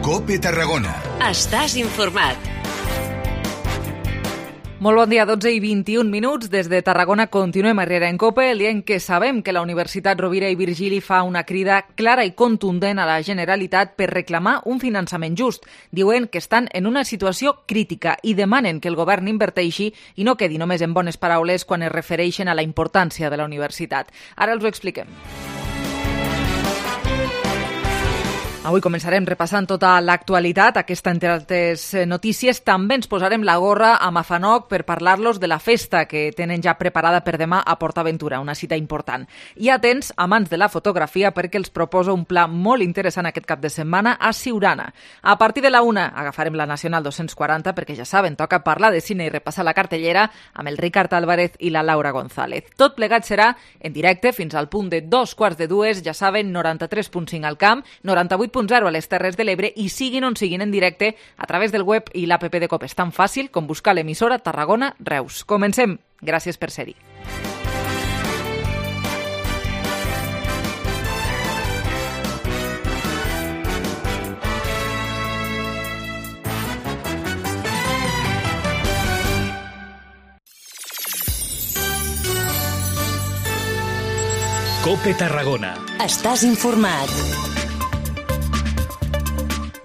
COPE Tarragona. Estàs informat. Molt bon dia, 12 i 21 minuts. Des de Tarragona continuem a Riera en COPE, dient que sabem que la Universitat Rovira i Virgili fa una crida clara i contundent a la Generalitat per reclamar un finançament just. Diuen que estan en una situació crítica i demanen que el govern inverteixi i no quedi només en bones paraules quan es refereixen a la importància de la universitat. Ara els ho expliquem. Avui començarem repassant tota l'actualitat. Aquesta, entre altres notícies, també ens posarem la gorra a Mafanoc per parlar-los de la festa que tenen ja preparada per demà a PortAventura, una cita important. I atents, amants de la fotografia, perquè els proposo un pla molt interessant aquest cap de setmana a Siurana. A partir de la 1 agafarem la Nacional 240, perquè ja saben, toca parlar de cine i repassar la cartellera amb el Ricard Álvarez i la Laura González. Tot plegat serà en directe fins al punt de 2:45, ja saben, 93.5 al camp, 98.0 a les Terres de l'Ebre i siguin on siguin en directe a través del web i l'app de COPE. És tan fàcil com buscar l'emissora Tarragona Reus. Comencem. Gràcies per ser-hi. COPE Tarragona. Estàs informat.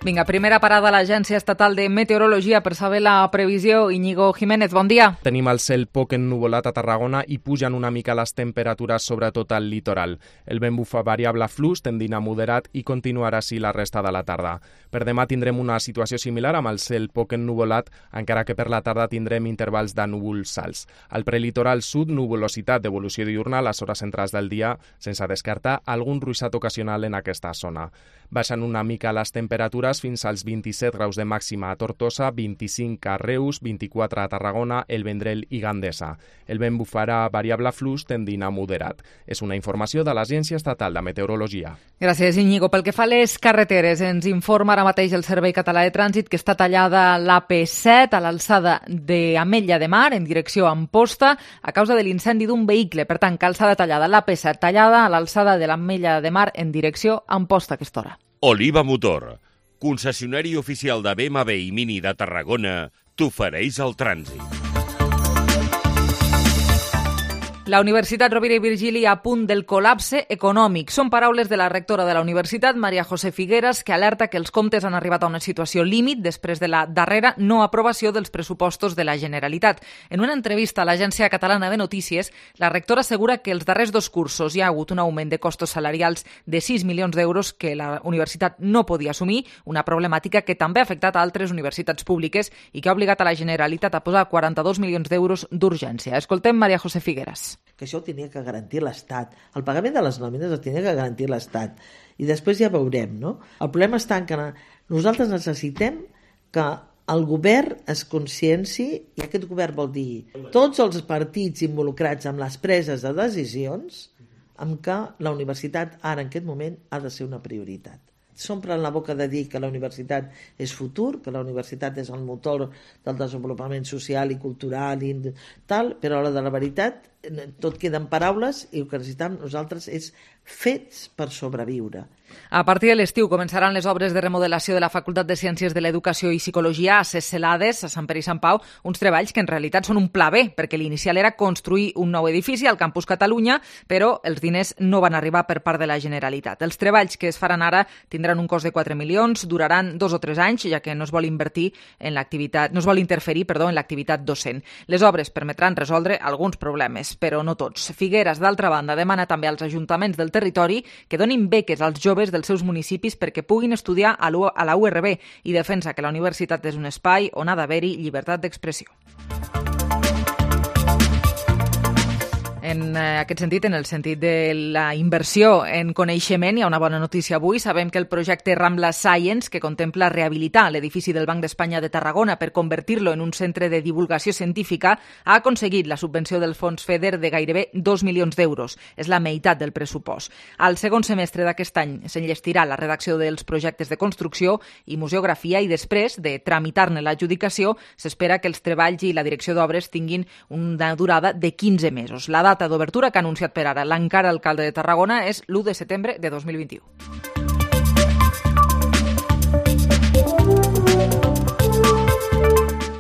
Vinga, primera parada a l'Agència Estatal de Meteorologia per saber la previsió. Íñigo Jiménez, bon dia. Tenim el cel poc ennuvolat a Tarragona i pugen una mica les temperatures, sobretot al litoral. El vent bufa variable flux, tendint a moderat i continuarà així la resta de la tarda. Per demà tindrem una situació similar amb el cel poc ennuvolat, encara que per la tarda tindrem intervals de núvols alts. Al prelitoral sud, nuvolositat d'evolució diurna a les hores centrals del dia, sense descartar algun ruixat ocasional en aquesta zona. Baixen una mica les temperatures fins als 27 graus de màxima a Tortosa, 25 a Reus, 24 a Tarragona, El Vendrell i Gandesa. El vent bufarà variable flux tendint a moderat. És una informació de l'Agència Estatal de Meteorologia. Gràcies, Íñigo. Pel que fa a les carreteres, ens informa ara mateix el Servei Català de Trànsit que està tallada l'AP7 a l'alçada d'Ametlla de Mar en direcció a Amposta a causa de l'incendi d'un vehicle. Per tant, calçada tallada, l'AP7 tallada a l'alçada de l'Ametlla de Mar en direcció a Amposta a aquesta hora. Oliva Motor, concessionari oficial de BMW i Mini de Tarragona, t'ofereix el trànsit. La Universitat Rovira i Virgili a punt del col·lapse econòmic. Són paraules de la rectora de la universitat, Maria José Figueras, que alerta que els comptes han arribat a una situació límit després de la darrera no aprovació dels pressupostos de la Generalitat. En una entrevista a l'Agència Catalana de Notícies, la rectora assegura que els darrers 2 cursos hi ha hagut un augment de costos salarials de 6 milions d'euros que la universitat no podia assumir, una problemàtica que també ha afectat a altres universitats públiques i que ha obligat a la Generalitat a posar 42 milions d'euros d'urgència. Escoltem Maria José Figueras. Que això ho tenia que garantir l'Estat. El pagament de les nòmines el tenia que garantir l'Estat. I després ja veurem, no? El problema està en que nosaltres necessitem que el govern es conscienci, i aquest govern vol dir tots els partits involucrats en les preses de decisions, amb que la universitat ara en aquest moment ha de ser una prioritat. S'omplen la boca de dir que la universitat és futur, que la universitat és el motor del desenvolupament social i cultural i tal, però a l'hora de la veritat tot queda en paraules i el que necessitem nosaltres és fets per sobreviure. A partir de l'estiu començaran les obres de remodelació de la Facultat de Ciències de l'Educació i Psicologia a Ses Celades, a Sant Pere i Sant Pau, uns treballs que en realitat són un pla B, perquè l'inicial era construir un nou edifici al Campus Catalunya, però els diners no van arribar per part de la Generalitat. Els treballs que es faran ara tindran un cost de 4 milions, duraran 2 o 3 anys, ja que no es vol interferir en l'activitat docent. Les obres permetran resoldre alguns problemes, però no tots. Figueras, d'altra banda, demana també als ajuntaments del territori que donin beques als joves dels seus municipis perquè puguin estudiar a la URB i defensa que la universitat és un espai on ha d'haver-hi llibertat d'expressió. En aquest sentit, en el sentit de la inversió en coneixement, hi ha una bona notícia avui. Sabem que el projecte Rambla Science, que contempla rehabilitar l'edifici del Banc d'Espanya de Tarragona per convertir-lo en un centre de divulgació científica, ha aconseguit la subvenció del fons FEDER de gairebé 2 milions d'euros. És la meitat del pressupost. Al segon semestre d'aquest any s'enllestirà la redacció dels projectes de construcció i museografia i després de tramitar-ne l'adjudicació s'espera que els treballs i la direcció d'obres tinguin una durada de 15 mesos. La data d'obertura que ha anunciat per ara l'encara alcalde de Tarragona és l'1 de setembre de 2021.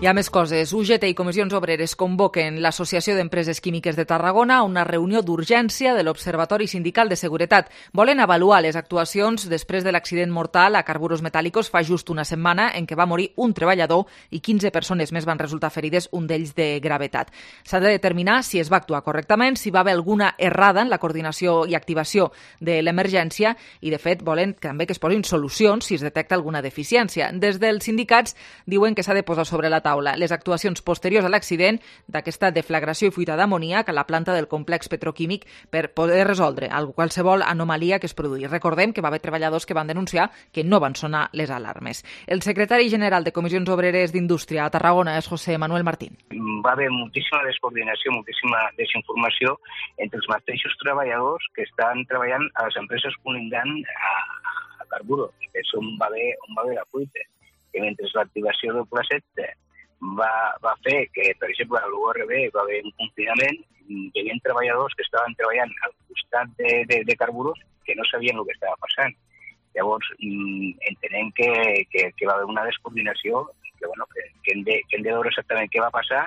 Hi ha més coses. UGT i Comissions Obreres convoquen l'Associació d'Empreses Químiques de Tarragona a una reunió d'urgència de l'Observatori Sindical de Seguretat. Volen avaluar les actuacions després de l'accident mortal a Carburos Metálicos fa just una setmana en què va morir un treballador i 15 persones més van resultar ferides, un d'ells de gravetat. S'ha de determinar si es va actuar correctament, si va haver alguna errada en la coordinació i activació de l'emergència i, de fet, volen també que es posin solucions si es detecta alguna deficiència. Des dels sindicats diuen que s'ha de posar sobre la taula les actuacions posteriors a l'accident d'aquesta deflagració i fuita d'amoníac a la planta del complex petroquímic per poder resoldre qualsevol anomalia que es produís. Recordem que va haver treballadors que van denunciar que no van sonar les alarmes. El secretari general de Comissions Obreres d'Indústria a Tarragona és José Manuel Martín. Va haver moltíssima descoordinació, moltíssima desinformació entre els mateixos treballadors que estan treballant a les empreses colindant a Carburos, que és on va haver la fuita. Que mentre l'activació del Pla 7 va fer que, per exemple, a l'URB va haver un confinament, hi havia treballadors que estaven treballant al costat de Carburos que no sabien el que estava passant. Llavors, entenem que va haver una descoordinació, que hem de veure exactament què va passar.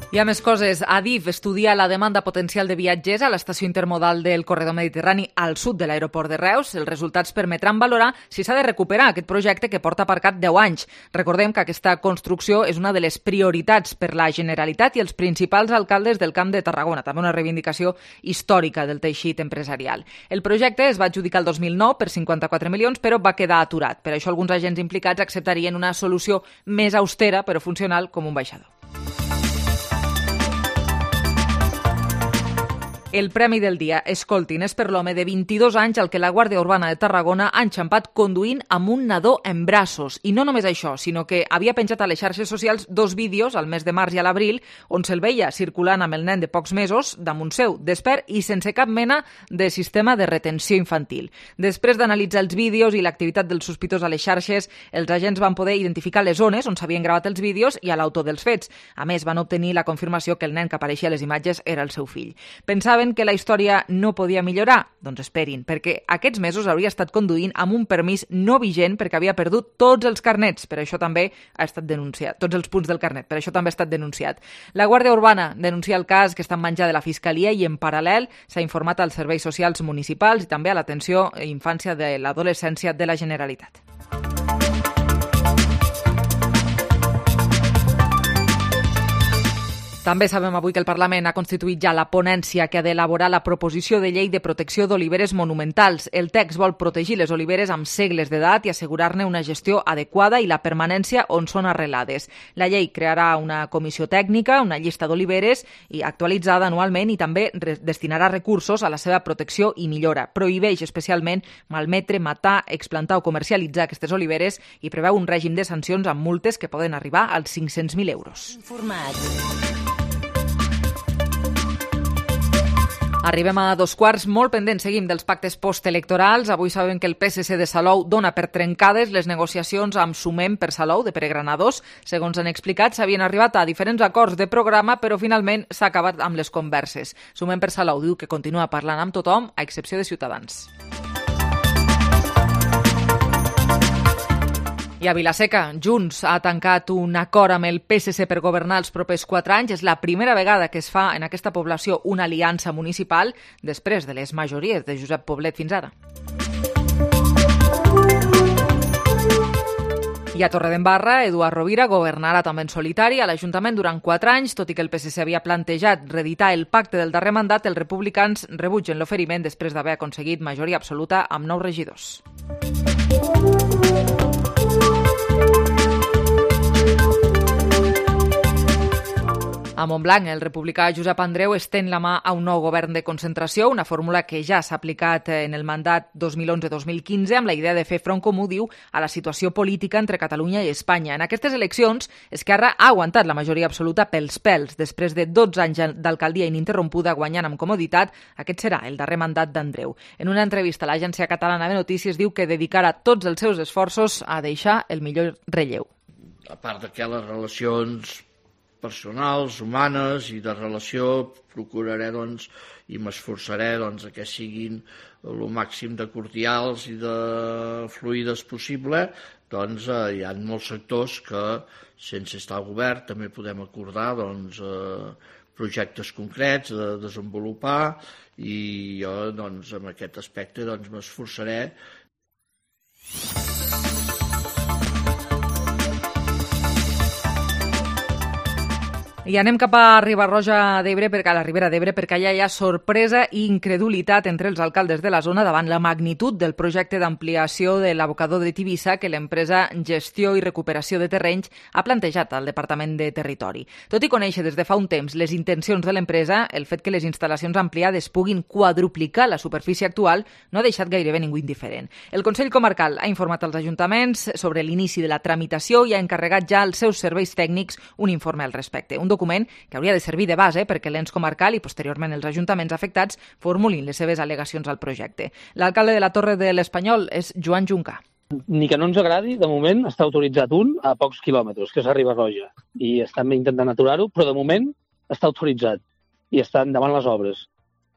Hi ha més coses. Adif estudia la demanda potencial de viatgers a l'estació intermodal del corredor mediterrani al sud de l'aeroport de Reus. Els resultats permetran valorar si s'ha de recuperar aquest projecte que porta aparcat 10 anys. Recordem que aquesta construcció és una de les prioritats per la Generalitat i els principals alcaldes del Camp de Tarragona, també una reivindicació històrica del teixit empresarial. El projecte es va adjudicar el 2009 per 54 milions, però va quedar aturat. Per això alguns agents implicats acceptarien una solució més austera però funcional com un baixador. El premi del dia, escoltin, és per l'home de 22 anys al que la Guàrdia Urbana de Tarragona ha enxampat conduint amb un nadó en braços. I no només això, sinó que havia penjat a les xarxes socials 2 vídeos al mes de març i a l'abril on se'l veia circulant amb el nen de pocs mesos damunt seu, despert i sense cap mena de sistema de retenció infantil. Després d'analitzar els vídeos i l'activitat del sospitós a les xarxes, els agents van poder identificar les zones on s'havien gravat els vídeos i a l'autor dels fets. A més, van obtenir la confirmació que el nen que apareixia a les imatges era el seu fill. Pensaven que la història no podia millorar? Doncs esperin, perquè aquests mesos hauria estat conduint amb un permís no vigent perquè havia perdut tots els carnets, per això també ha estat denunciat, tots els punts del carnet, per això també ha estat denunciat. La Guàrdia Urbana denuncia el cas que està en menjar de la Fiscalia i en paral·lel s'ha informat als serveis socials municipals i també a l'atenció a infància de l'adolescència de la Generalitat. També sabem avui que el Parlament ha constituït ja la ponència que ha d'elaborar la proposició de llei de protecció d'oliveres monumentals. El text vol protegir les oliveres amb segles d'edat i assegurar-ne una gestió adequada i la permanència on són arrelades. La llei crearà una comissió tècnica, una llista d'oliveres i actualitzada anualment i també destinarà recursos a la seva protecció i millora. Prohibeix especialment malmetre, matar, explantar o comercialitzar aquestes oliveres i preveu un règim de sancions amb multes que poden arribar als 500.000 euros. Arribem a 2:15, molt pendents seguim dels pactes postelectorals. Avui sabem que el PSC de Salou dona per trencades les negociacions amb Sumem per Salou de peregrinadors. Segons han explicat, s'havien arribat a diferents acords de programa, però finalment s'ha acabat amb les converses. Sumem per Salou diu que continua parlant amb tothom, a excepció de Ciutadans. I a Vila-seca, Junts ha tancat un acord amb el PSC per governar els propers 4 anys. És la primera vegada que es fa en aquesta població una aliança municipal després de les majories de Josep Poblet fins ara. I a Torredembarra, Eduard Rovira governarà també en solitari a l'Ajuntament durant 4 anys, tot i que el PSC havia plantejat reeditar el pacte del darrer mandat, els republicans rebutgen l'oferiment després d'haver aconseguit majoria absoluta amb 9 regidors. A Montblanc, el republicà Josep Andreu estén la mà a un nou govern de concentració, una fórmula que ja s'ha aplicat en el mandat 2011-2015 amb la idea de fer front comú, diu, a la situació política entre Catalunya i Espanya. En aquestes eleccions, Esquerra ha aguantat la majoria absoluta pels pèls. Després de 12 anys d'alcaldia ininterrompuda guanyant amb comoditat, aquest serà el darrer mandat d'Andreu. En una entrevista a l'Agència Catalana de Notícies diu que dedicarà tots els seus esforços a deixar el millor relleu. A part de que les relacions personals, humanes i de relació procuraré i m'esforçaré que siguin el màxim de cordials i de fluides possible, doncs hi ha molts sectors que, sense estar al govern, també podem acordar projectes concrets de desenvolupar, i jo doncs, en aquest aspecte doncs, m'esforçaré. I anem cap a Riba-roja d'Ebre, a la Ribera d'Ebre, perquè allà hi ha sorpresa i incredulitat entre els alcaldes de la zona davant la magnitud del projecte d'ampliació de l'abocador de Tivissa que l'empresa Gestió i Recuperació de Terrenys ha plantejat al Departament de Territori. Tot i conèixer des de fa un temps les intencions de l'empresa, el fet que les instal·lacions ampliades puguin quadruplicar la superfície actual no ha deixat gairebé ningú indiferent. El Consell Comarcal ha informat als ajuntaments sobre l'inici de la tramitació i ha encarregat ja als seus serveis tècnics un informe al respecte. Un document que hauria de servir de base perquè l'ens comarcal i posteriorment els ajuntaments afectats formulin les seves al·legacions al projecte. L'alcalde de la Torre de l'Espanyol és Joan Juncà. Ni que no ens agradi, de moment està autoritzat un a pocs quilòmetres, que és a Riba-roja, i estan intentant aturar-ho, però de moment està autoritzat i estan davant les obres.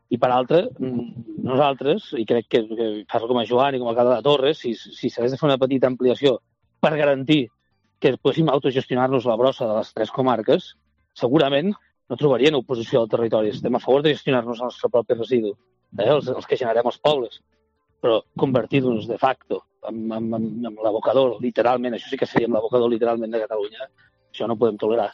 I per altra, nosaltres, i crec que parlo com a Joan i com a alcalde de la Torre, si s'hagués de fer una petita ampliació per garantir que poguéssim autogestionar-nos la brossa de les 3 comarques, segurament no trobarien oposició al territori. Estem a favor de gestionar-nos el nostre propi residu, els que generem els pobles, però convertir-nos de facto en l'abocador, literalment, això sí que seria l'abocador literalment de Catalunya, això no ho podem tolerar.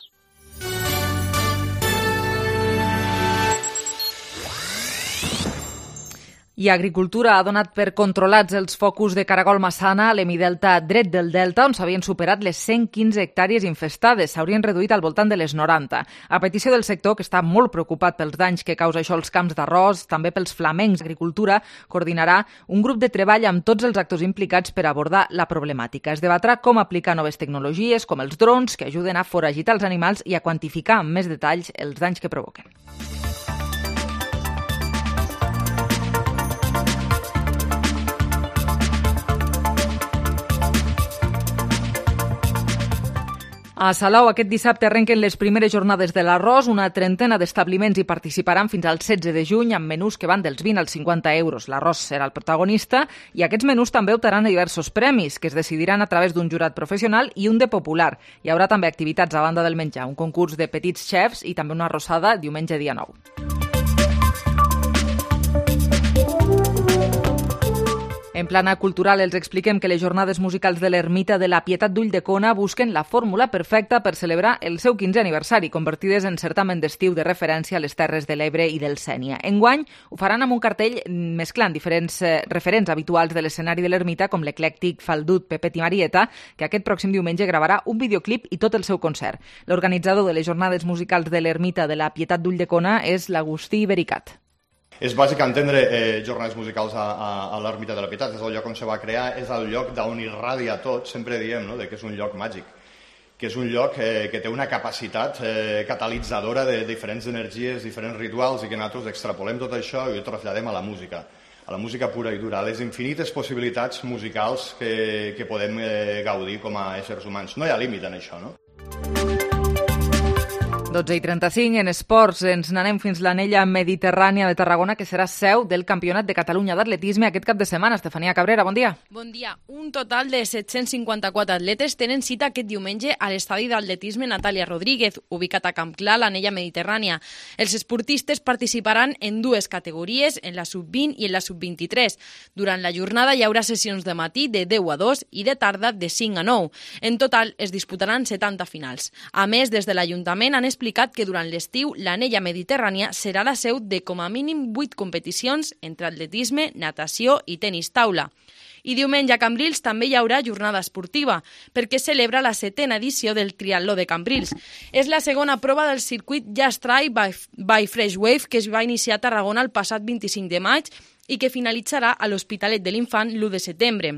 I Agricultura ha donat per controlats els focus de caragol massana a l'hemidelta dret del Delta, on s'havien superat les 115 hectàrees infestades. S'haurien reduït al voltant de les 90. A petició del sector, que està molt preocupat pels danys que causa això als camps d'arròs, també pels flamencs, Agricultura coordinarà un grup de treball amb tots els actors implicats per abordar la problemàtica. Es debatrà com aplicar noves tecnologies, com els drons, que ajuden a foragitar els animals i a quantificar amb més detalls els danys que provoquen. A Salou aquest dissabte arrenquen les primeres jornades de l'arròs. Una trentena d'establiments hi participaran fins al 16 de juny amb menús que van dels 20 als 50 euros. L'arròs serà el protagonista i aquests menús també optaran a diversos premis que es decidiran a través d'un jurat professional i un de popular. Hi haurà també activitats a banda del menjar, un concurs de petits xefs i també una arrossada diumenge dia 9. En plana cultural els expliquem que les jornades musicals de l'Ermita de la Pietat d'Ulldecona busquen la fórmula perfecta per celebrar el seu 15è aniversari, convertides en certamen d'estiu de referència a les Terres de l'Ebre i del Sénia. Enguany ho faran amb un cartell mesclant diferents referents habituals de l'escenari de l'Ermita, com l'eclèctic Faldut Pepet i Marieta, que aquest pròxim diumenge gravarà un videoclip i tot el seu concert. L'organitzador de les jornades musicals de l'Ermita de la Pietat d'Ulldecona és l'Agustí Bericat. És bàsic entendre jornades musicals a l'Ermita de la Pietat, és el lloc on se va crear, és el lloc d'on irradia tot, sempre diem que és un lloc màgic, que és un lloc que té una capacitat catalitzadora de diferents energies, diferents rituals, i que nosaltres extrapolem tot això i ho traslladem a la música pura i dura, a les infinites possibilitats musicals que podem gaudir com a éssers humans. No hi ha límit en això, no? 12:35, en esports ens n'anem fins l'anella mediterrània de Tarragona, que serà seu del Campionat de Catalunya d'atletisme aquest cap de setmana. Estefania Cabrera, bon dia. Bon dia. Un total de 754 atletes tenen cita aquest diumenge a l'estadi d'atletisme Natàlia Rodríguez, ubicat a Campclar, l'anella mediterrània. Els esportistes participaran en 2 categories, en la sub-20 i en la sub-23. Durant la jornada hi haurà sessions de matí de 10 a 2 i de tarda de 5 a 9. En total es disputaran 70 finals. A més, des de l'Ajuntament han explicat que durant l'estiu l'anella mediterrània serà la seu de com a mínim 8 competicions entre atletisme, natació i tenis taula. I diumenge a Cambrils també hi haurà jornada esportiva, perquè celebra la 7ª edició del triatló de Cambrils. És la segona prova del circuit Just Try by Fresh Wave, que es va iniciar a Tarragona el passat 25 de maig i que finalitzarà a l'Hospitalet de l'Infant l'1 de setembre.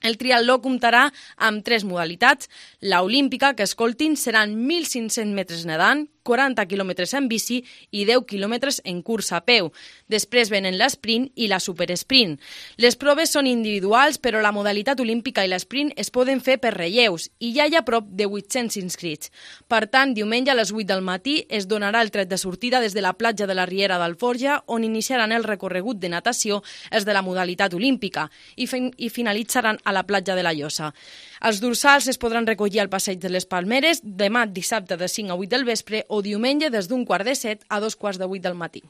El triatló comptarà amb 3 modalitats. La olímpica, que escoltin, seran 1.500 metres nedant, 40 quilòmetres en bici i 10 quilòmetres en cursa a peu. Després venen l'esprint i la superesprint. Les proves són individuals, però la modalitat olímpica i l'esprint es poden fer per relleus i ja hi ha prop de 800 inscrits. Per tant, diumenge a les 8 del matí es donarà el tret de sortida des de la platja de la Riera d'Alforja, on iniciaran el recorregut de natació els de la modalitat olímpica i finalitzaran a la platja de la Llosa. Els dorsals es podran recollir al passeig de les Palmeres demà dissabte de 5 a 8 del vespre o diumenge des d'un 6:45 a 2:45 del matí.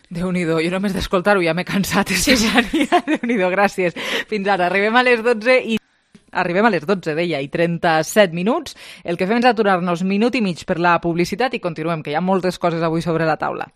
Déu-n'hi-do, jo només d'escoltar-ho ja m'he cansat, Estefania. Déu-n'hi-do, gràcies. Fins ara, arribem a les 12, deia, i 37 minuts. El que fem és aturar-nos minut i mig per la publicitat i continuem, que hi ha moltes coses avui sobre la taula.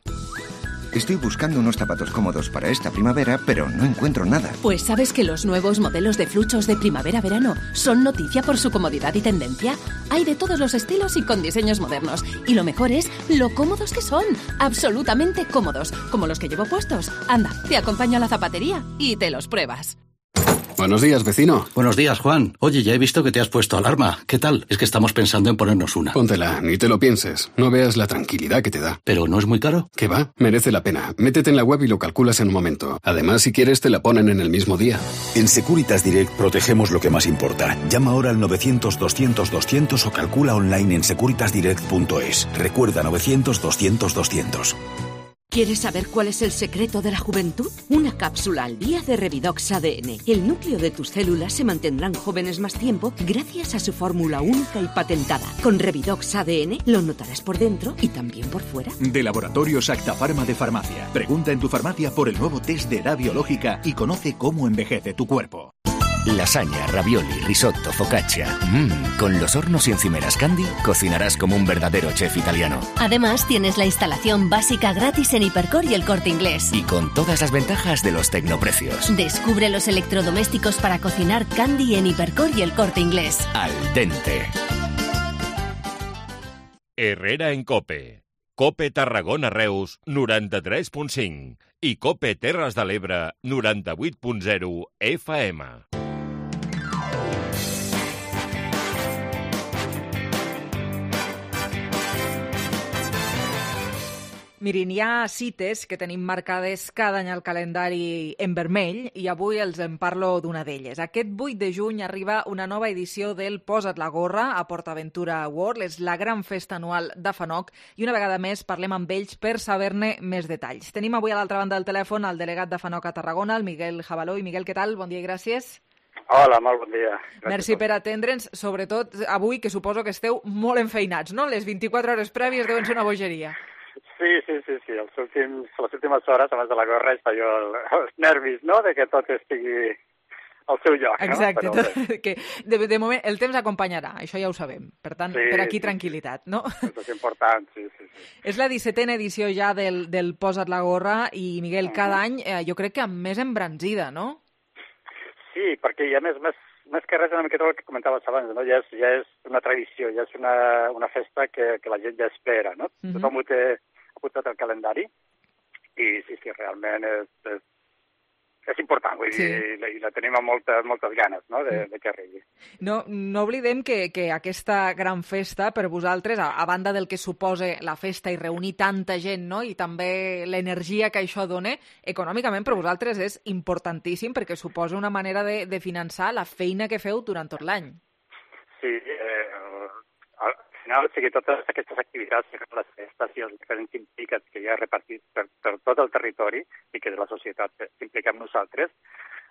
Estoy buscando unos zapatos cómodos para esta primavera, pero no encuentro nada. Pues ¿sabes que los nuevos modelos de fluchos de primavera-verano son noticia por su comodidad y tendencia? Hay de todos los estilos y con diseños modernos. Y lo mejor es lo cómodos que son. Absolutamente cómodos, como los que llevo puestos. Anda, te acompaño a la zapatería y te los pruebas. Buenos días, vecino. Buenos días, Juan. Oye, ya he visto que te has puesto alarma. ¿Qué tal? Es que estamos pensando en ponernos una. Póntela, ni te lo pienses. No veas la tranquilidad que te da. ¿Pero no es muy caro? ¿Qué va? Merece la pena. Métete en la web y lo calculas en un momento. Además, si quieres, te la ponen en el mismo día. En Securitas Direct protegemos lo que más importa. Llama ahora al 900-200-200 o calcula online en securitasdirect.es. Recuerda 900-200-200. ¿Quieres saber cuál es el secreto de la juventud? Una cápsula al día de Revidox ADN. El núcleo de tus células se mantendrán jóvenes más tiempo gracias a su fórmula única y patentada. Con Revidox ADN lo notarás por dentro y también por fuera. De Laboratorios Acta Pharma de Farmacia. Pregunta en tu farmacia por el nuevo test de edad biológica y conoce cómo envejece tu cuerpo. Lasaña, ravioli, risotto, focaccia. Con los hornos y encimeras Candy cocinarás como un verdadero chef italiano. Además, tienes la instalación básica gratis en Hipercor y El Corte Inglés. Y con todas las ventajas de los tecnoprecios. Descubre los electrodomésticos para cocinar Candy en Hipercor y El Corte Inglés. Al dente. Herrera en COPE. COPE Tarragona Reus 93.5 i COPE Terres de l'Ebre 98.0 FM. Mirin, hi ha cites que tenim marcades cada any al calendari en vermell i avui els en parlo d'una d'elles. Aquest 8 de juny arriba una nova edició del Posa't la gorra a PortAventura World. És la gran festa anual de FANOC i una vegada més parlem amb ells per saber-ne més detalls. Tenim avui a l'altra banda del telèfon el delegat de FANOC a Tarragona, el Miguel Jabaló. I Miguel, què tal? Bon dia i gràcies. Hola, molt bon dia. Merci per atendre'ns, sobretot avui, que suposo que esteu molt enfeinats, no? Les 24 hores prèvies deuen ser una bogeria. Sí. Les últimes hores, abans de la gorra, està jo els nervis, no?, de que tot estigui al seu lloc, exacte, no? Exacte, que de moment el temps acompanyarà, això ja ho sabem. Per tant, sí, per aquí tranquil·litat, no? Això és important, sí. És la 17a edició ja del Posa't la gorra i, Miguel, cada any jo crec que amb més embranzida, no? Sí, perquè ja més que res, una miqueta el que comentaves abans, no? Ja és una tradició, ja és una festa que la gent ja espera, no? Tothom ho té apuntat al calendari i sí, realment és important, vull dir, i la tenim amb moltes ganes, no?, de que arribi. No oblidem que aquesta gran festa, per vosaltres, a banda del que suposa la festa i reunir tanta gent, no?, i també l'energia que això dona, econòmicament per vosaltres és importantíssim perquè suposa una manera de finançar la feina que feu durant tot l'any. Sí, al final, o sigui, totes aquestes activitats, les festes i els diferents implicats que hi ha repartits per tot el territori i que de la societat s'implica amb nosaltres,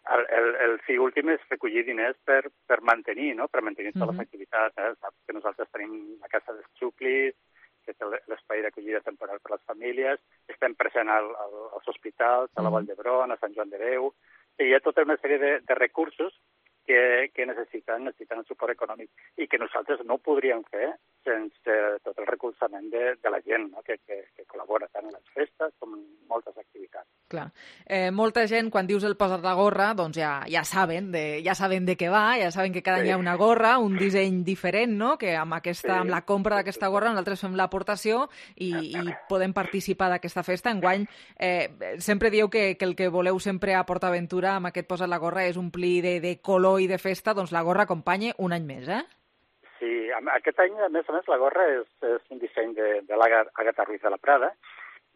el fi últim és recollir diners per mantenir, no?, per mantenir totes les activitats. Saps que nosaltres tenim la Casa dels Xuclis, que és l'espai d'acollida temporal per a les famílies, estem presents als hospitals, a la Vall d'Hebron, a Sant Joan de Déu, i hi ha tota una sèrie de recursos que necessiten el suport econòmic i que nosaltres no podríem fer sense tot el recolzament de la gent, no?, que col·labora tant en les festes com en moltes activitats. Clar. molta gent, quan dius el posa't la gorra, doncs ja saben de què va, ja saben que cada any hi ha una gorra, un disseny diferent, no?, que amb la compra d'aquesta gorra nosaltres fem l'aportació i podem participar d'aquesta festa. Enguany, sempre dieu que el que voleu sempre a PortAventura amb aquest posa't la gorra és omplir de color i de festa, doncs la gorra acompanya un any més, Sí, aquest any, a més, la gorra és un disseny de l'Àgata Ruiz de la Prada,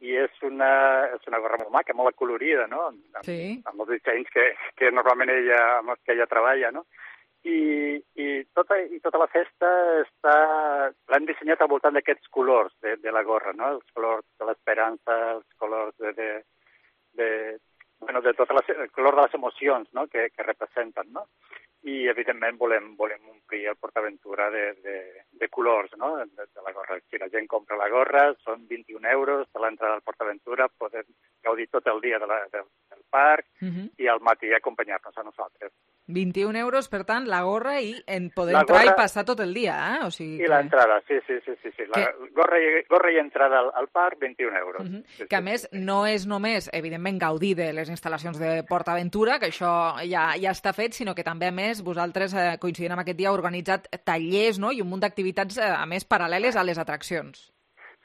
i és una gorra molt maca, molt acolorida, no?, amb els dissenys que normalment amb els que ella treballa, no?, i tota la festa l'han dissenyat al voltant d'aquests colors de la gorra, no?, els colors de l'esperança, els colors de tot el color de les emocions, no?, que representen, no?, i evidentment volem omplir el PortAventura de colors, no?, de la gorra. Si la gent compra la gorra, són 21 euros de l'entrada al PortAventura, podem gaudir tot el dia del parc i al matí acompanyar-nos a nosaltres. 21 euros, per tant, la gorra i poder entrar i passar tot el dia, O sigui I l'entrada, sí. La gorra i entrada al parc, 21 euros. Que, a més, no és només, evidentment, gaudir de les instal·lacions de PortAventura, que això ja està fet, sinó que també, a més, vosaltres, coincidint amb aquest dia, heu organitzat tallers, no?, i un munt d'activitats, a més, paral·leles a les atraccions.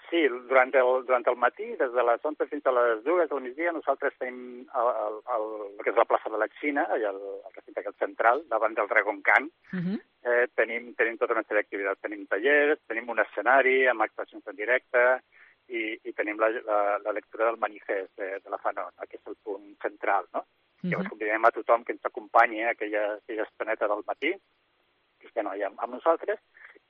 Sí, durant el matí, des de les 11 fins a les 2 del migdia, nosaltres tenim el que és la plaça de la Xina, allà al recinte central, davant del Dragon Khan. Tenim tota una sèrie d'activitats. Tenim tallers, tenim un escenari amb actuacions en directe i tenim la lectura del manifest de la FANOC, que és el punt central, no? Llavors convidem a tothom que ens acompanyi a aquella estoneta del matí, que estem allà amb nosaltres,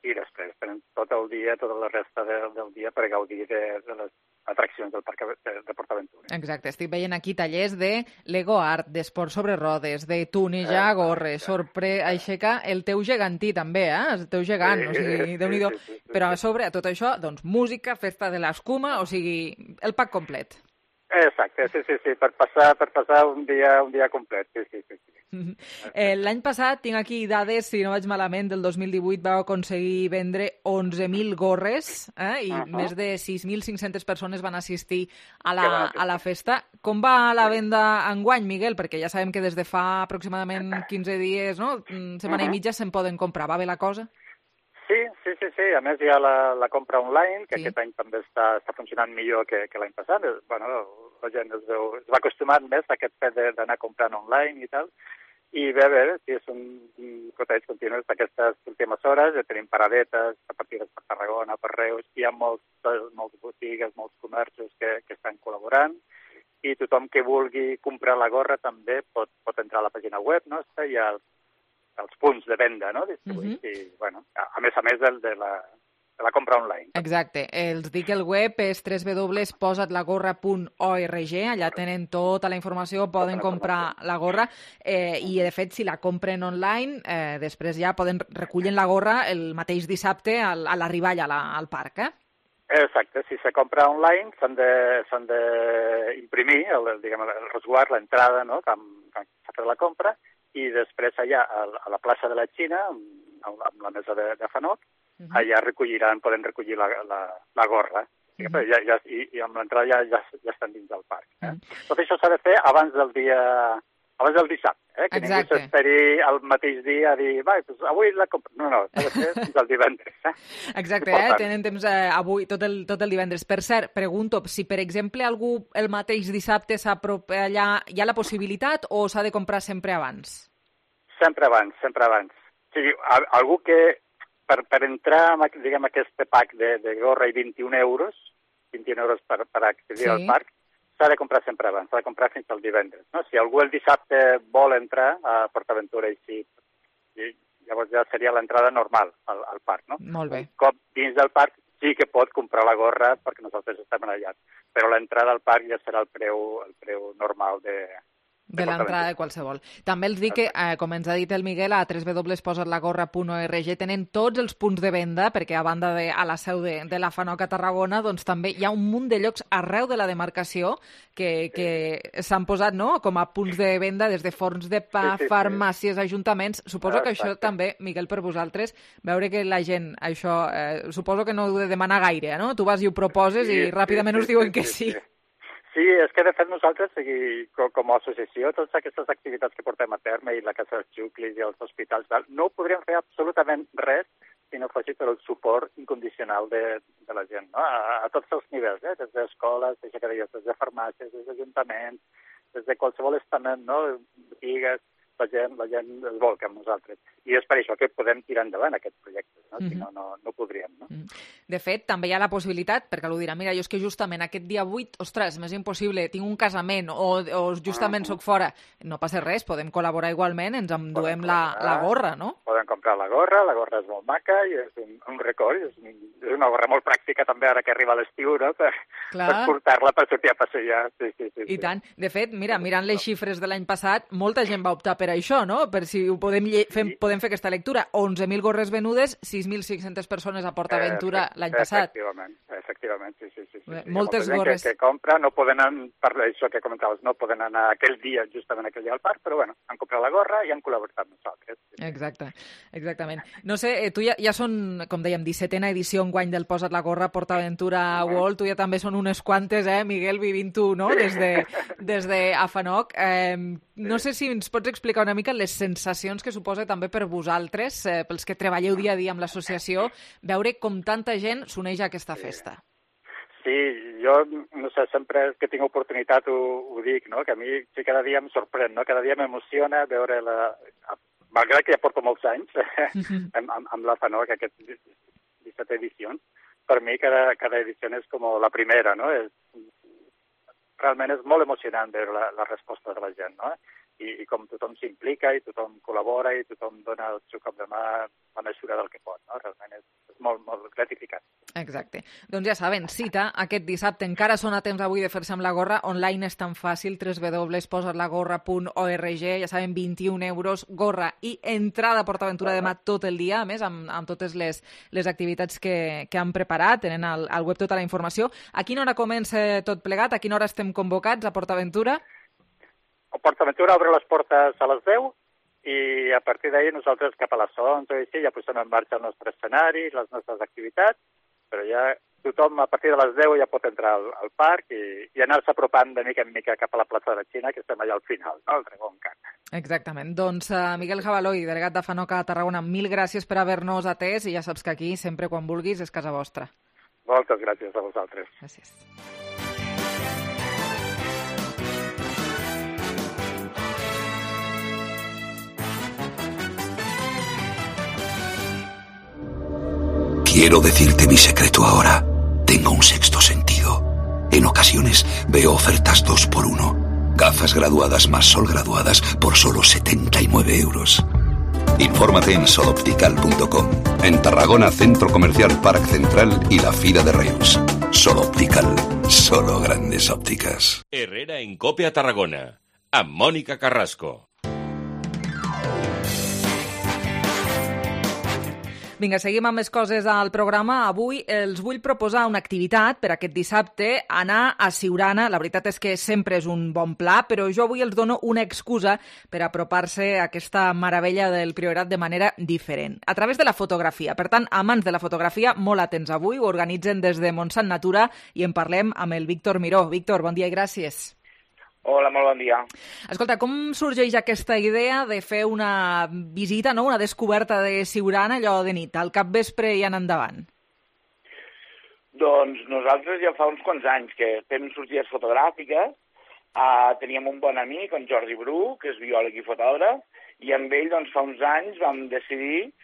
i després tenim tot el dia, tota la resta del dia per gaudir de les atraccions del Parc de PortAventura. Exacte, estic veient aquí tallers de Lego Art, d'esport sobre rodes, de tunejar gorres, aixecar el teu gegantí també, el teu gegant, o sigui, Déu-n'hi-do. Però a sobre, a tot això, doncs música, festa de l'escuma, o sigui, el pack complet. Exacte, sí, per passar un dia complet, sí. L'any passat, tinc aquí dades, si no vaig malament, del 2018 vau aconseguir vendre 11.000 gorres i més de 6.500 persones van assistir a la festa. Com va la venda enguany, Miguel? Perquè ja sabem que des de fa aproximadament 15 dies, no?, setmana i mitja, se'n poden comprar. Va bé la cosa? Sí. A més, hi ha la compra online, que aquest any també està funcionant millor que l'any passat. Bueno, la gent es va acostumant més a aquest fet d'anar comprant online i tal. I bé, sí, és un coteig continu d'aquestes últimes hores. Ja tenim paradetes repartides per Tarragona, per Reus. Hi ha moltes botigues, molts comerços que estan col·laborant. I tothom que vulgui comprar la gorra també pot entrar a la pàgina web, no? Hi ha els punts de venda, no?, distribuïts, i, bueno, a més de la compra online. Exacte. Els dic, el web és www.posatlagorra.org, allà tenen tota la informació, poden comprar la gorra, i, de fet, si la compren online, després ja recullen la gorra el mateix dissabte a l'arribada al parc, Exacte. Si se compra online, s'han d'imprimir el resguard, l'entrada, no?, quan s'ha fet la compra, i després allà a la plaça de la Xina, amb la mesa de FANOC, allà poden recollir la gorra. I amb l'entrada ja estan dins del parc. Tot això s'ha de fer abans del dissabte, que ningú s'esperi el mateix dia a dir, avui la compro. No, s'ha de fer fins al divendres. Exacte, tenen temps avui, tot el divendres. Per cert, pregunto, si per exemple algú el mateix dissabte s'apropa allà, hi ha la possibilitat o s'ha de comprar sempre abans? Sempre abans. O sigui, algú que per entrar en aquest pack de gorra i 21 euros per accedir al parc, s'ha de comprar sempre abans, s'ha de comprar fins al divendres. No? Si algú el dissabte vol entrar a PortAventura llavors ja seria l'entrada normal al parc. No? Molt bé. Un cop dins del parc sí que pot comprar la gorra perquè nosaltres estem allà, però l'entrada al parc ja serà el preu normal de l'entrada de qualsevol. També els dic que, com ens ha dit el Miguel, a www.posatlagorra.org tenen tots els punts de venda, perquè a banda a la seu de la FANOC a Tarragona, doncs també hi ha un munt de llocs arreu de la demarcació que s'han posat, no?, com a punts de venda, des de forns de pa, farmàcies, ajuntaments. Suposo que això també, Miguel, per vosaltres, veure que la gent, això, suposo que no ho heu de demanar gaire, no? Tu vas i ho proposes i ràpidament us diuen que sí. Sí, és que de fet nosaltres, com a associació, totes aquestes activitats que portem a terme i la Casa dels Xuclis i els hospitals, no podríem fer absolutament res si no fos per el suport incondicional de la gent, no? A tots els nivells, des d'escoles, des de farmàcies, des d'ajuntaments, des de qualsevol estament, no? Botigues, la gent es volca amb nosaltres. I és per això que podem tirar endavant aquests projectes, no? Si no, no podríem, no? De fet, també hi ha la possibilitat, perquè algú dirà, mira, jo és que justament aquest dia 8, ostres, m'és impossible, tinc un casament o justament soc fora. No passa res, podem col·laborar igualment, ens enduem la gorra, no? Podem comprar la gorra és molt maca i és un record, és una gorra molt pràctica també ara que arriba l'estiu, no? Per portar-la per sortir a passejar. Sí. I tant. De fet, mira, mirant les xifres de l'any passat, molta gent va optar per això, no? Per si ho podem fer aquesta lectura. 11.000 gorres venudes, 6.600 persones a PortAventura l'any passat. Efectivament, sí. Moltes gorres. Que compra, no poden anar, per això que comentaves, no poden anar aquell dia, justament aquell dia al parc, però bueno, han comprat la gorra i han col·laborat amb nosaltres. Exactament. No sé, tu ja són, com dèiem, 17a edició enguany del Posa't la gorra PortAventura World, tu ja també són unes quantes, Miguel, vivint tu, no?, des de Afanoc. No sé si ens pots explicar una mica les sensacions que suposa també per vosaltres, pels que treballeu dia a dia amb l'associació, veure com tanta gent s'uneix a aquesta festa. Sí, jo, no sé, sempre que tinc oportunitat ho dic, no?, que a mi sí, cada dia em sorprèn, no?, cada dia m'emociona veure malgrat que ja porto molts anys amb l'Afanoc, aquest 17 edicions, per mi cada edició és com la primera, no?, realment és molt emocionant veure la resposta de la gent, no?, i com tothom s'implica i tothom col·labora i tothom dona el seu cop de mà la mesura del que pot, no?, realment és molt, molt gratificant. Exacte. Doncs ja saben, cita aquest dissabte, encara són a temps avui de fer-se amb la gorra, online és tan fàcil, www.posatlagorra.org, ja saben, 21 euros, gorra i entrada a PortAventura demà tot el dia, a més, amb totes les activitats que han preparat, tenen al web tota la informació. A quina hora comença tot plegat? A quina hora estem convocats a PortAventura? PortAventura obre les portes a les 10 i a partir d'ahir nosaltres cap a les 11 o així ja posem en marxa el nostre escenari, les nostres activitats, però ja tothom a partir de les 10 ja pot entrar al parc i anar-se apropant de mica en mica cap a la plaça de la Xina, que estem allà al final, no? El Dragón Khan. Exactament. Doncs Miguel Jabaloi, delegat d'Afanoc a Tarragona, mil gràcies per haver-nos atès i ja saps que aquí, sempre quan vulguis, és casa vostra. Moltes gràcies a vosaltres. Gràcies. Quiero decirte mi secreto ahora. Tengo un sexto sentido. En ocasiones veo ofertas 2x1. Gafas graduadas más sol graduadas por solo 79 euros. Infórmate en soloptical.com. En Tarragona, Centro Comercial Parc Central y la Fira de Reus. Sol Optical. Solo grandes ópticas. Herrera en COPE a Tarragona. Amb Mònica Carrasco. Vinga, seguim amb més coses al programa. Avui els vull proposar una activitat per aquest dissabte, anar a Siurana. La veritat és que sempre és un bon pla, però jo avui els dono una excusa per apropar-se a aquesta meravella del Priorat de manera diferent, a través de la fotografia. Per tant, amants de la fotografia, molt atents avui, ho organitzen des de Montsant Natura i en parlem amb el Víctor Miró. Víctor, bon dia i gràcies. Hola, molt bon dia. Escolta, com sorgeix aquesta idea de fer una visita, no? Una descoberta de Siurana, allò de nit, al capvespre i en endavant? Doncs nosaltres ja fa uns quants anys que fem sortides fotogràfiques. Teníem un bon amic, en Jordi Bru, que és biòleg i fotògraf, i amb ell doncs, fa uns anys vam decidir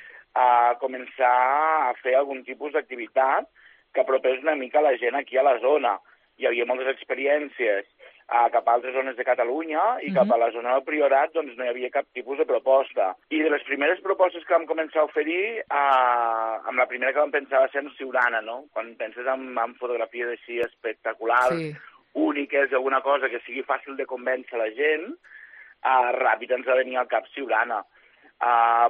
començar a fer algun tipus d'activitat que apropés una mica la gent aquí a la zona. Hi havia moltes experiències cap a altres zones de Catalunya i cap a la zona del Priorat doncs no hi havia cap tipus de proposta. I de les primeres propostes que vam començar a oferir, amb la primera que vam pensar va ser en Siurana, no? Quan penses en fotografies així espectaculars, úniques, alguna cosa que sigui fàcil de convèncer la gent, ràpid ens va venir al cap Siurana.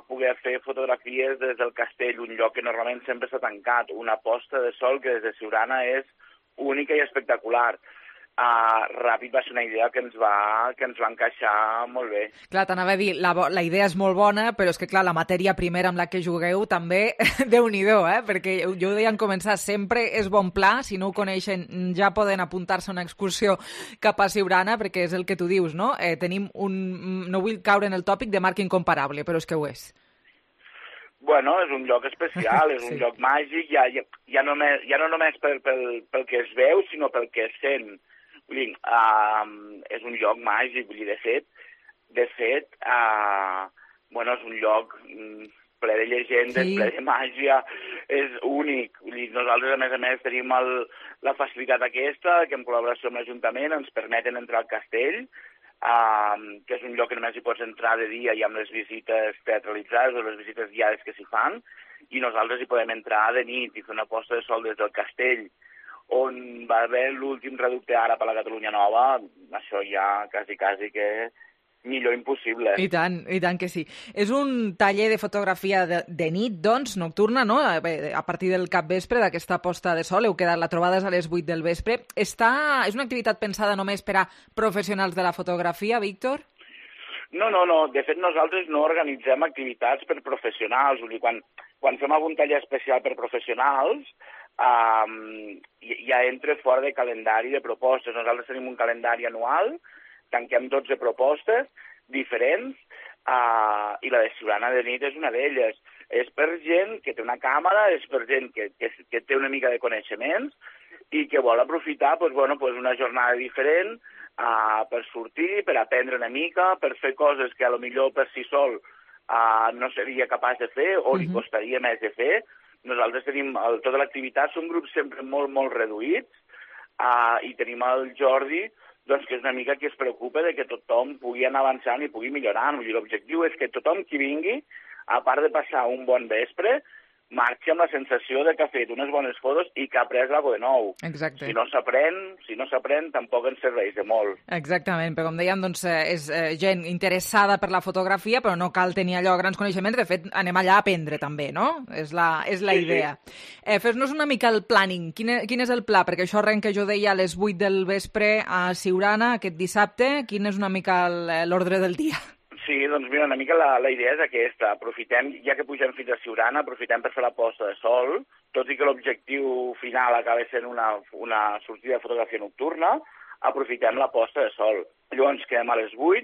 Poder fer fotografies des del castell, un lloc que normalment sempre està tancat, una posta de sol que des de Siurana és única i espectacular. ràpid va ser una idea que ens va encaixar molt bé. Clar, t'anava a dir, la idea és molt bona, però és que, clar, la matèria primera amb la que jugueu també, Déu-n'hi-do, perquè jo ho deia en començar, sempre és bon pla, si no ho coneixen ja poden apuntar-se a una excursió cap a Siurana, perquè és el que tu dius, no? Tenim no vull caure en el tòpic de marca incomparable, però és que ho és. Bueno, és un lloc especial, és un lloc màgic, ja no només pel que es veu, sinó pel que es sent. Vull dir, és un lloc màgic, vull dir, de fet, bueno, és un lloc ple de llegendes, ple de màgia, és únic. Vull dir, nosaltres, a més, tenim la facilitat aquesta, que en col·laboració amb l'Ajuntament ens permeten entrar al castell, que és un lloc que només hi pots entrar de dia i amb les visites teatralitzades o les visites guiades que s'hi fan, i nosaltres hi podem entrar de nit i fer una posta de sol des del castell, on va haver l'últim reducte ara per la Catalunya Nova, això ja quasi que millor impossible. I tant que sí. És un taller de fotografia de nit, doncs, nocturna, no? A partir del capvespre, d'aquesta posta de sol, heu quedat la trobada a les 8 del vespre. És una activitat pensada només per a professionals de la fotografia, Víctor? No. De fet, nosaltres no organitzem activitats per professionals. Vull dir, quan fem algun taller especial per professionals, ja entra fora de calendari de propostes. Nosaltres tenim un calendari anual, tanquem 12 propostes diferents i la de Siurana de nit és una d'elles. És per gent que té una càmera, és per gent que té una mica de coneixements i que vol aprofitar una jornada diferent per sortir, per aprendre una mica, per fer coses que potser per si sol no seria capaç de fer o li costaria més de fer. Nosaltres tenim tota l'activitat, són grups sempre molt, molt reduïts i tenim el Jordi, doncs que és una mica que es preocupa de que tothom pugui anar avançant i pugui millorant. L'objectiu és que tothom qui vingui, a part de passar un bon vespre, marxi amb la sensació de que ha fet unes bones fotos i que ha après alguna cosa de nou. Exacte. Si no s'aprèn, tampoc ens serveix de molt. Exactament, però com dèiem, doncs, és gent interessada per la fotografia, però no cal tenir allò grans coneixements. De fet, anem allà a aprendre també, no? És la idea. Sí. Fes-nos una mica el planning. Quin és el pla? Perquè això arrenca, jo deia, a les 8 del vespre a Siurana aquest dissabte. Quin és una mica l'ordre del dia? Sí, doncs mira, una mica la idea és aquesta. Aprofitem, ja que pugem fins a Siurana, aprofitem per fer la posta de sol, tot i que l'objectiu final acaba sent una sortida de fotografia nocturna, aprofitem la posta de sol. Llavors quedem a les 8,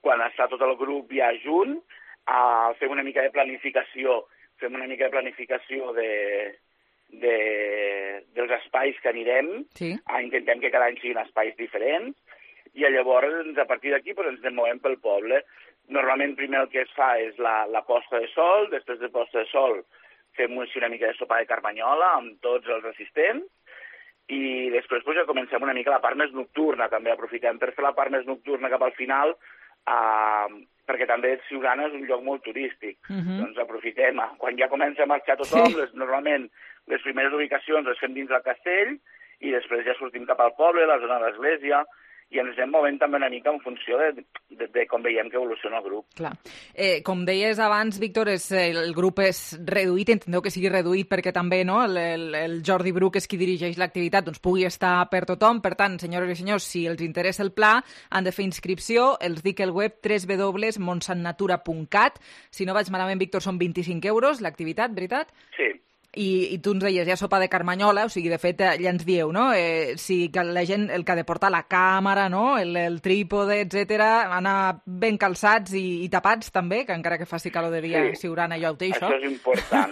quan està tot el grup ja junt, fem una mica de planificació, dels espais que anirem, intentem que cada any siguin espais diferents, i llavors a partir d'aquí ens movem pel poble. Normalment primer el que es fa és la posta de sol, després de posta de sol fem una mica de sopa de carmanyola amb tots els assistents i després ja comencem una mica la part més nocturna, també aprofitem per fer la part més nocturna cap al final perquè també Siurana és un lloc molt turístic. Doncs aprofitem, quan ja comença a marxar tothom, normalment les primeres ubicacions les fem dins del castell i després ja sortim cap al poble, la zona de l'església, i ens anem movent també una mica en funció de com veiem que evoluciona el grup. Clar. Com deies abans, Víctor, el grup és reduït, enteneu que sigui reduït perquè també el Jordi Bru, que és qui dirigeix l'activitat, doncs pugui estar per tothom. Per tant, senyores i senyors, si els interessa el pla, han de fer inscripció. Els dic el web www.monsantnatura.cat. Si no vaig malament, Víctor, són 25 euros l'activitat, veritat? Sí. I tu ens deies, ja sopa de carmanyola, o sigui, de fet, ja ens dieu, no? Si la gent, el que ha de portar la càmera, no? El trípode, etc, anar ben calçats i tapats també, que encara que faci calor de dia, Siurana ja ho té, això. Això és important.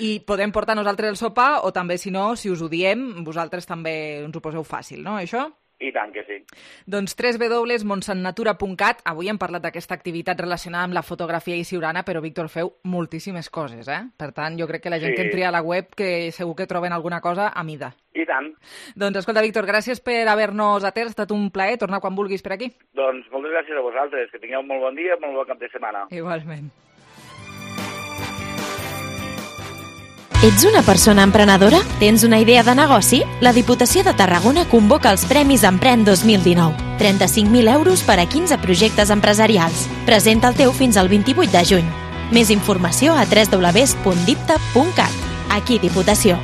I podem portar nosaltres el sopar, o també, si no, si us ho diem, vosaltres també ens ho poseu fàcil, no, això? I tant que sí. Doncs www.monsantnatura.cat. Avui hem parlat d'aquesta activitat relacionada amb la fotografia i Siurana, però, Víctor, feu moltíssimes coses, Per tant, jo crec que la gent que entri a la web que segur que troben alguna cosa a mida. I tant. Doncs, escolta, Víctor, gràcies per haver-nos atès. Ha estat un plaer tornar quan vulguis per aquí. Doncs moltes gràcies a vosaltres. Que tingueu un molt bon dia, molt bon cap de setmana. Igualment. Ets una persona emprenedora? Tens una idea de negoci? La Diputació de Tarragona convoca els Premis Emprèn 2019. 35.000 euros per a 15 projectes empresarials. Presenta el teu fins al 28 de juny. Més informació a www.dipta.cat. Aquí Diputació.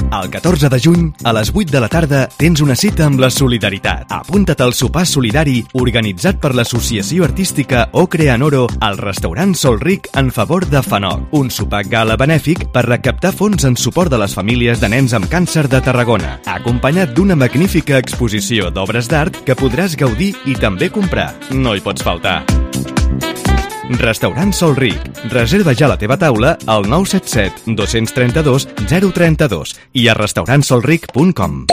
El 14 de juny, a les 8 de la tarda, tens una cita amb la solidaritat. Apunta't al sopar solidari organitzat per l'Associació Artística Ocre Anoro al restaurant Sol Ric en favor de FANOC. Un sopar gala benèfic per recaptar fons en suport de les famílies de nens amb càncer de Tarragona, acompanyat d'una magnífica exposició d'obres d'art que podràs gaudir i també comprar. No hi pots faltar. Restaurant Sol Ric. Reserva ja la teva taula al 977 232 032 i a restaurantsolric.com.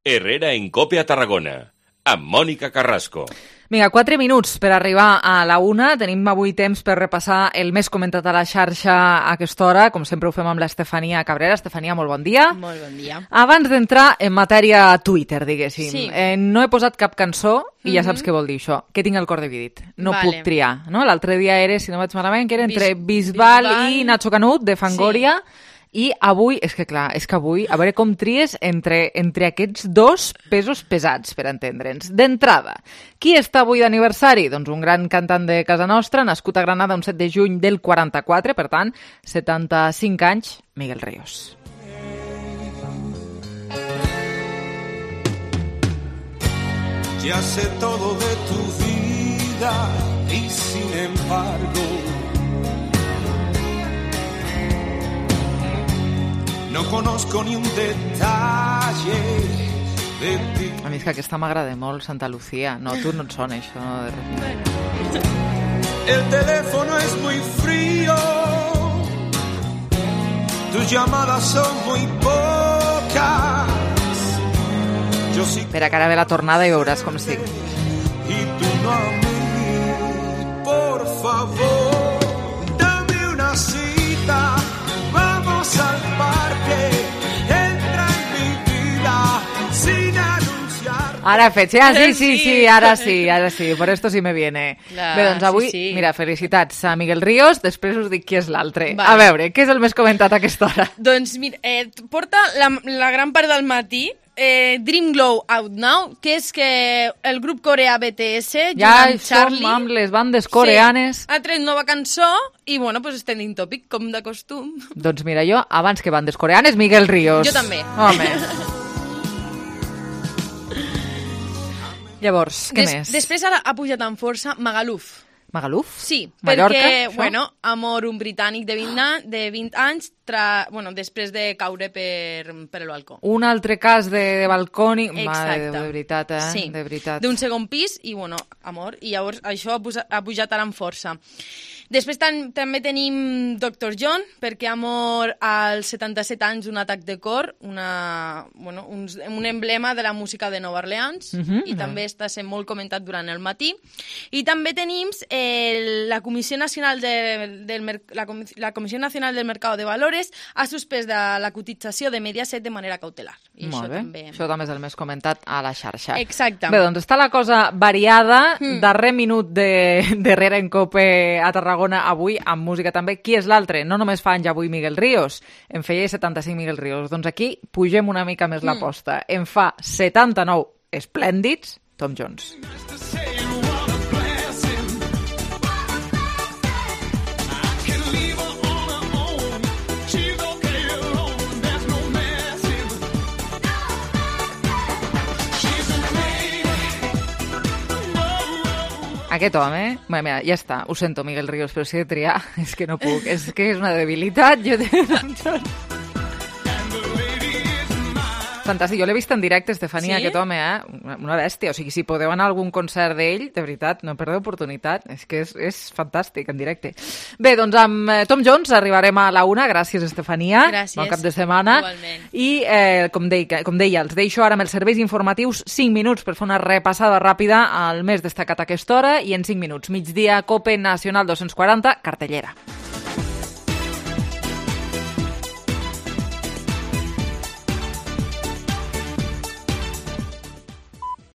Herrera en Cope a Tarragona, amb Mònica Carrasco. Vinga, 4 minuts per arribar a la 1. Tenim avui temps per repassar el més comentat a la xarxa a aquesta hora. Com sempre ho fem amb l'Estefania Cabrera. Estefania, molt bon dia. Molt bon dia. Abans d'entrar en matèria Twitter, diguéssim, Sí. No he posat cap cançó i ja saps què vol dir això, que tinc el cor dividit. No puc triar, no? L'altre dia era, si no vaig malament, que era entre Bisbal i Nacho Canut, de Fangoria, i avui, és que avui, a veure com tries entre aquests dos pesos pesats, per entendre'ns. D'entrada, qui està avui d'aniversari? Doncs un gran cantant de casa nostra, nascut a Granada un 7 de juny del 44, per tant, 75 anys, Miguel Ríos. Ya sé todo de tu vida y sin embargo no conozco ni un detalle de ti. A mi és que aquesta m'agrada molt, Santa Lucía. No, tu no et sona això, no? El teléfono es muy frío, tus llamadas son muy pocas. Espera, que ara ve la tornada i veuràs com sí. Y tú no a mí, por favor, dame una cita, vamos al parque, entra en mi vida sin anunciar. Ara fet, sí, ara sí, por esto sí me viene. Clar, bé, doncs avui, sí. Mira, felicitats a Miguel Ríos, després us dic qui és l'altre. Vale. A veure, què és el més comentat a aquesta hora? Doncs mira, porta la gran part del matí Dream Glow Out Now, que és que el grup coreà BTS, Ja amb som Charlie, amb les bandes coreanes. ha tret nova cançó i, bueno, pues trending topic, com de costum. Doncs mira, jo, abans que bandes coreanes, Miguel Ríos. Jo també. Home. Llavors, què més? Després ara ha pujat amb força Magaluf. Magaluf? Sí, Mallorca, perquè, això? bueno, amor, un britànic de 20 anys, després de caure per el balcó. Un altre cas de balcònic. Exacte. De veritat, Sí, de veritat. d'un segon pis i, bueno, amor. I llavors això ha pujat ara amb força. Després també tenim Dr. John, perquè ha mort als 77 anys d'un atac de cor, un emblema de la música de Nova Orleans, i també està sent molt comentat durant el matí. I també tenim la Comissió Nacional la Comissió Nacional del Mercado de Valores ha suspès la cotització de Mediaset de manera cautelar. I Molt bé, també... això també és el més comentat a la xarxa. Exacte. Bé, doncs està la cosa variada, darrer minut d'Herrera en Cope a Tarragona avui, amb música també. Qui és l'altre? No només fa anys avui Miguel Ríos, en feia 75 Miguel Ríos. Doncs aquí pugem una mica més l'aposta. En fa 79 esplèndids, Tom Jones. Aquest home, mira, ja està, ho sento, Miguel Ríos, però si he de triar, és que no puc, és que és una debilitat. Fantàstic, jo l'he vist en directe, Estefania, Sí? aquest home, una bèstia. O sigui, si podeu anar a algun concert d'ell, de veritat, no perdeu oportunitat. És que és fantàstic, en directe. Bé, doncs amb Tom Jones arribarem a la 1. Gràcies, Estefania. Gràcies. Bon cap de setmana. Igualment. I, com deia, els deixo ara amb els serveis informatius 5 minuts per fer una repassada ràpida al més destacat a aquesta hora i en 5 minuts. Migdia, Cope Nacional 240, cartellera.